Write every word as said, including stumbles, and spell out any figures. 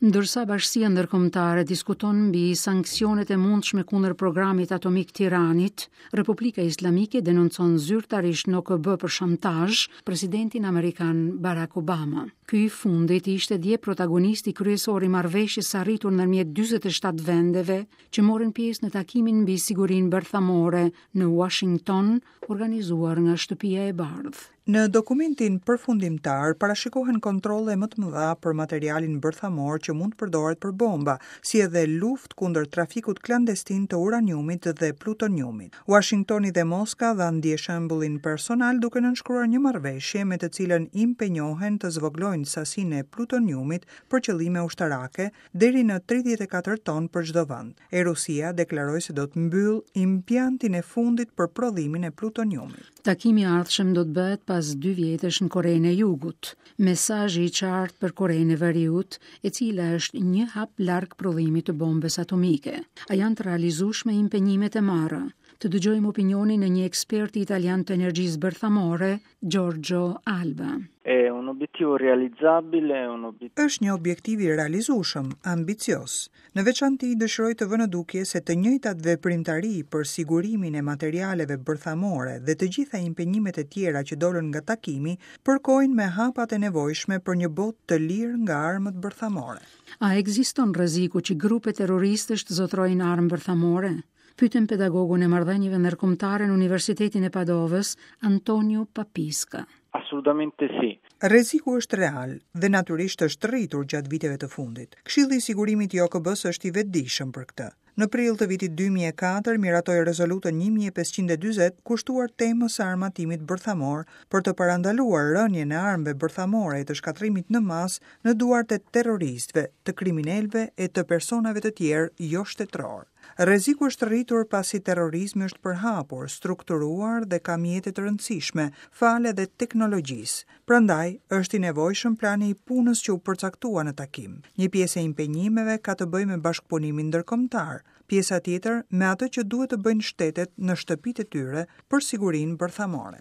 Ndërsa bashkësia ndërkombëtare diskuton mbi sanksionet e mundshme kundër programit atomik të Iranit, Republika Islamike denoncon zyrtarisht në O K B për shantazh presidentin amerikan Barack Obama. Ky i fundit ishte dje protagonisti kryesor i marrëveshjes së arritur ndërmjet dyzet e shtatë vendeve që morën pjesë në takimin mbi sigurinë bërthamore në Washington, organizuar nga Shtëpia e Bardhë. Në dokumentin përfundimtar parashikohen kontrolle më të mëdha për materialin bërthamor që mund të përdoret për bomba, si edhe luftë kundër trafikut klandestin të uraniumit dhe plutoniumit. Washingtoni dhe Moska dhanë dje shembullin personal duke nënshkruar një marrëveshje me të cilën impenjohen të zvoglojnë sasinë e plutoniumit për qëllime ushtarake deri në tridhjetë e katër ton për çdo vend. E Rusia deklaroi se do të mbyll impiantin e fundit për prodhimin e plutoniumit. Takimi i ardhshëm do të bëhet pas dy vjetësh në Korenë e Jugut. Mesazhi i qartë për Korenë e Veriut, e cila është një hap larg prodhimit të bombës atomike. A janë të realizueshme impenjimet e marra? Të dëgjojmë opinionin e një eksperti italian të energjisë bërthamore, Giorgio Alba. È un obiettivo realizzabile, un obiettivo Është një objektiv i realizueshëm, ambicioz. Në veçanti dëshiroj të vë në dukje se të njëjtat veprimtari për sigurimin e materialeve bërthamore dhe të gjitha impenjimet e tjera që dolën nga takimi përkojnë me hapat e nevojshme për një botë të lirë nga armët bërthamore. A ekziston rreziku që grupe terroristësh të zotërojnë armë bërthamore? Pyetëm pedagogun e marrëdhënieve ndërkombëtare në Universitetin e Padovës, Antonio Papisca. Assolutamente sì. Rreziku është real dhe natyrisht është rritur gjatë viteve të fundit. Këshilli i Sigurimit i O K B-s është i vetëdijshëm për këtë. Në prill të vitit dy mijë e katër miratoi rezolutën një mijë e pesëqind e dyzet kushtuar temës së armatimit bërthamor për të parandaluar rënien e armëve bërthamore e të shkatërrimit në masë në duart e terroristëve, të kriminalëve e të personave të tjerë jo shtetëror. Rreziku është rritur pasi terrorizmi është përhapur, strukturuar dhe ka mjete të rëndësishme, falë edhe teknologjisë. Prandaj, është i nevojshëm plani i punës që u përcaktua në takim. Një pjesë e impenjimeve ka të bëjë me bashkëpunimin ndërkombëtar, pjesa tjetër me atë që duhet të bëjnë shtetet në shtëpitë e tyre për sigurinë bërthamore.